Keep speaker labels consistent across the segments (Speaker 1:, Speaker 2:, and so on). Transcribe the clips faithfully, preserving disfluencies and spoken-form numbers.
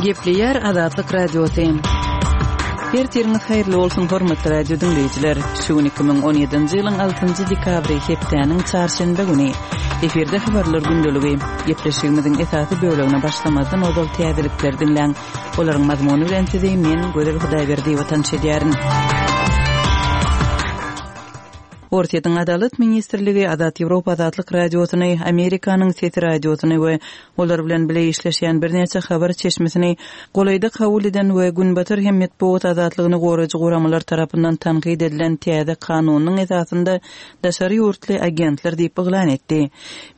Speaker 1: Gepleýär Azatlyk Radiosy. Ertiriňiz haýyrly bolsun, hormatly radio diňleýjiler. Şu gün iki müň on ýedinji ýylyň altynjy dekabry, hepdäniň çarşenbe güni. Efirde habarlar gündeligi. Gepleşigimiziň esasy bölegine başlamazdan ozal täzelikleri diňläň. Olaryň mazmuny bilen sizi men, Gözel Hudaýberdiýewa tanyş edýärin. Orsýetiň Adalat ministrligi Azat Ýewropa Azatlyk Radiosyny, Amerikanyň Sesi radiosyny we olar bilen bile işleşýän birnäçe habar çeşmesini golaýda kabul eden we Günbatar hem metbugat azatlygyny goraýjy guramalar tarapyndan tankyt edilen täze kanunyň esasynda daşary ýurtly agentler diýip yglan etdi.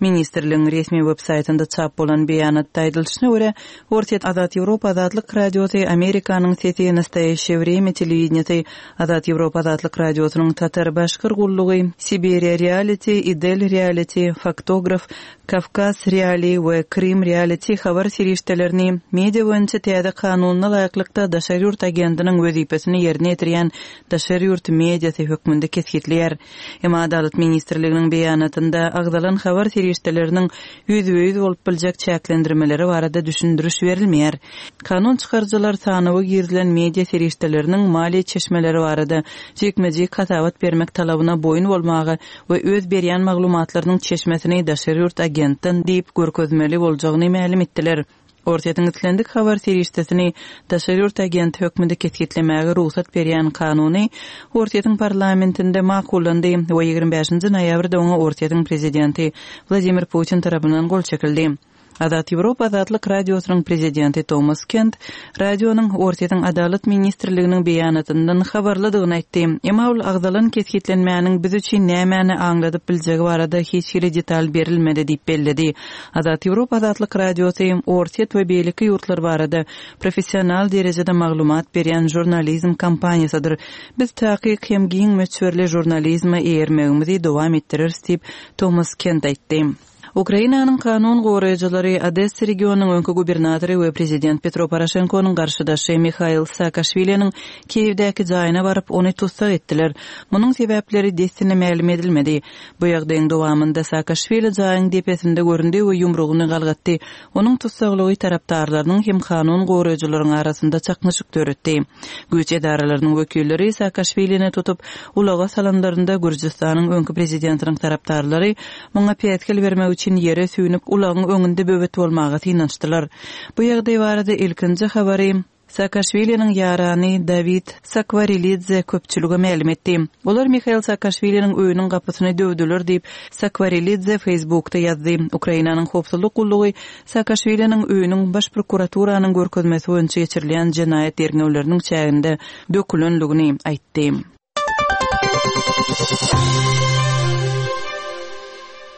Speaker 1: Ministrligiň resmi web-saýtynda çap bolan beýanatda aýdylyşyna görä, Orsýet Azat Ýewropa Azatlyk Radiosy, Amerikanyň Sesi, Nastoýaşşeýe Wremýa telewideniýesi, Azat Ýewropa Azatlyk Radiosynyň Tatar Başkyr gullugy, Siberiýa Reality, Idel Reality, Faktograf, Kawkaz Reali we Krym Reality habar serişdelerini media boýunça täze kanunyna laýyklykda daşary ýurt agentiniň wezipesini ýerine ýetirýän daşary ýurt mediasy hökmünde kesgitleýär. Emma Adalat ministrliginiň beýanatynda agzalan habar serişdeleriniň ýüzbe-ýüz bolup biljek çäklendirmeleri barada düşündiriş berilmeýär. Kanun çykaryjylar sanawa girizilen media serişdeleriniň maliýe çeşmeleri barada jikme-jik hasabat bermek talabyna boýun bolmaga we öz berýän maglumatlarynyň çeşmesini daşary ýurt agentden diýip görkezmeli boljagyny mälim etdiler. Orsýetiň islendik habar serişdesini daşary ýurt agenti hökmünde kesgitlemäge rugsat berýän kanuny Orsýetiň parlamentinde makullandy we ýigrimi bäşinji noýabrda oňa Orsýetiň prezidenti Wladimir Putin tarapyndan gol çekildi. Azat Ýewropa Azatlyk Radiosynyň prezidenti Tomas Kent radionyň Orsýetiň Adalat ministrliginiň beýanatyndan habarlydygyny aýtdy. Emma ol agzalan kesgitlenmäniň biz üçin nämäni aňladyp biljegi barada hiç hili detal berilmedi diýip belledi. Azat Ýewropa Azatlyk Radiosy Orsýet we beýleki ýurtlar barada professional derejede maglumat berýän žurnalizm kompaniýasydyr. Biz takyk hem giň möçberli žurnalizme eýermegimizi dowam etdireris diýip Tomas Kent aýtdy. Ukrainanyň kanun goraýjylary Odessa regionynyň öňki gubernatory we prezident Petro Poroşenkonyň garşydaşy Mihail Saakaşwiliniň Kiýewdäki jaýyna baryp, ony tussag etdiler. Munuň sebäpleri dessine mälim edilmedi. Bu ýagdaýyň dowamynda Saakaşwili jaýyň depesinde göründi we ýumrugyny galgatdy. Onuň tussaglygy tarapdarlarynyň hem kanun goraýjylaryň arasynda çaknyşyk döretdi. Güýç edaralarynyň wekilleri Saakaşwilini tutup, ulaga salanlarynda Gürjüstanyň öňki prezidentiniň tarapdarlary muňa päsgel bermek üçin ýere süýnüp, ulagyň öňünde böwet bolmaga synanyşdylar. Bu ýagdaý barada ilkinji habary Saakaşwiliniň ýarany Dawid Sakwarelidze köpçülige mälim etdi. Olar Mihail Saakaşwiliniň öýüniň gapysyny döwdüler diýip, Sakwarelidze Facebookda ýazdy. Ukrainanyň howpsuzlyk gullugy Saakaşwiliniň öýüniň baş prokuraturanyň görkezmesi boýunça geçirilýän jenaýat derňewleriniň çäginde dökülenligini aýtdy.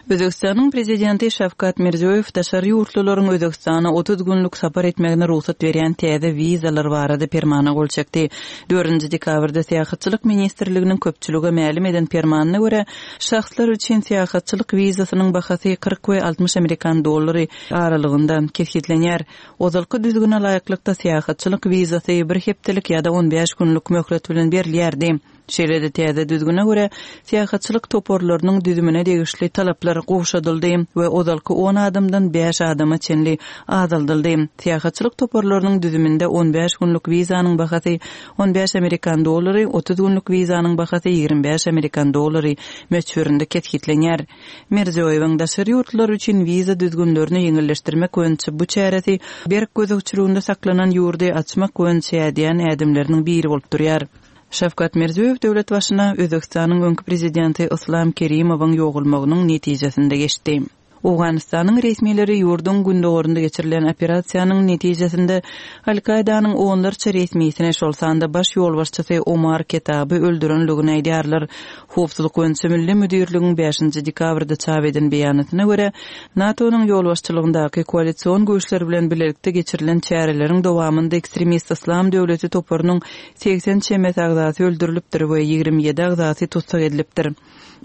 Speaker 1: Özbekistanyň prezidenti Şawkat Mirziýoýew daşary ýurtlularyň Özbekistana otuz günlük sapar etmegine rugsat berýän täze wizalar barada permana gol çekdi. Dördünji dekabrda Syýahatçylyk ministrliginiň köpçülige mälim eden permanyna görä, şahslar üçin syýahatçylyk wizasynyň bahasy kyrk we altmyş amerikan dollary aralygynda kesgitlenýär. Ozalky düzgüne laýyklykda syýahatçylyk wizasy bir hepdelik ýa-da on bäş günlük möhlet bilen berilýärdi. Şeýle-de täze düzgüne görä, syýahatçylyk toparlarynyň düzümine degişli talaplar gowşadyldy we ozalky on adamdan bäş adama çenli azaldyldy. Syýahatçylyk toparlarynyň düzüminde on bäş günlük wizanyň bahasy on bäş amerikan dollary, otuz günlük wizanyň bahasy ýigrimi bäş amerikan dollary möçberinde kesgitlenýär. Mirziýoýewiň daşary ýurtlar üçin wiza düzgünlerini ýeňilleşdirmek boýunça bu çäresi berk gözegçiliginde saklanan ýurdy açmak boýunça ädýän ädimleriniň biri bolup durýar. Şawkat Mirziýoýew döwlet başyna Özbekistanyň öňki prezidenti Islam Kerimowyň ýogulmagynyň netijesinde geçdi. Owganystanyň resmileri ýurduň gündogarynda geçirilen operasiýanyň netijesinde Al-Kaidanyň onlarça resmisini, şol sanda baş ýolbaşçysy Omar Ketaby öldürenligini aýdýarlar. Howpsuzlyk boýunça Milli müdirligiň bäşinji dekabrda çap eden beýanatyna görä, NATO-nyň ýolbaşçylygyndaky koalision güýçler bilen bilelikde geçirilen çäreleriň dowamynda ekstremist Islam döwleti toparynyň segsen çemesi agzasy öldürilipdir we ýigrimi ýedi agzasy tussag edilipdir.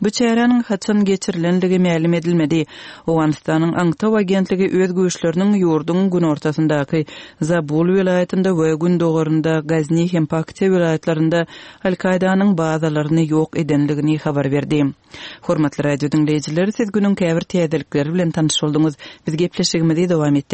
Speaker 1: Bu çäräniň haçan geçirilenligi mälim edilmedi. Owganystanyň Aňtaw agentligi öz güýçleriniň ýurduň günortasyndaky Zabul welaýatynda we gündogarynda Gazni hem Paktiýa welaýatlarynda Al-Kaidanyň bazalaryny ýok edenligini habar berdi. Hormatly radio diňleýjiler, siz günüň käbir täzelikleri bilen tanyş bolduňyz. Biz gepleşigimizi dowam etdik.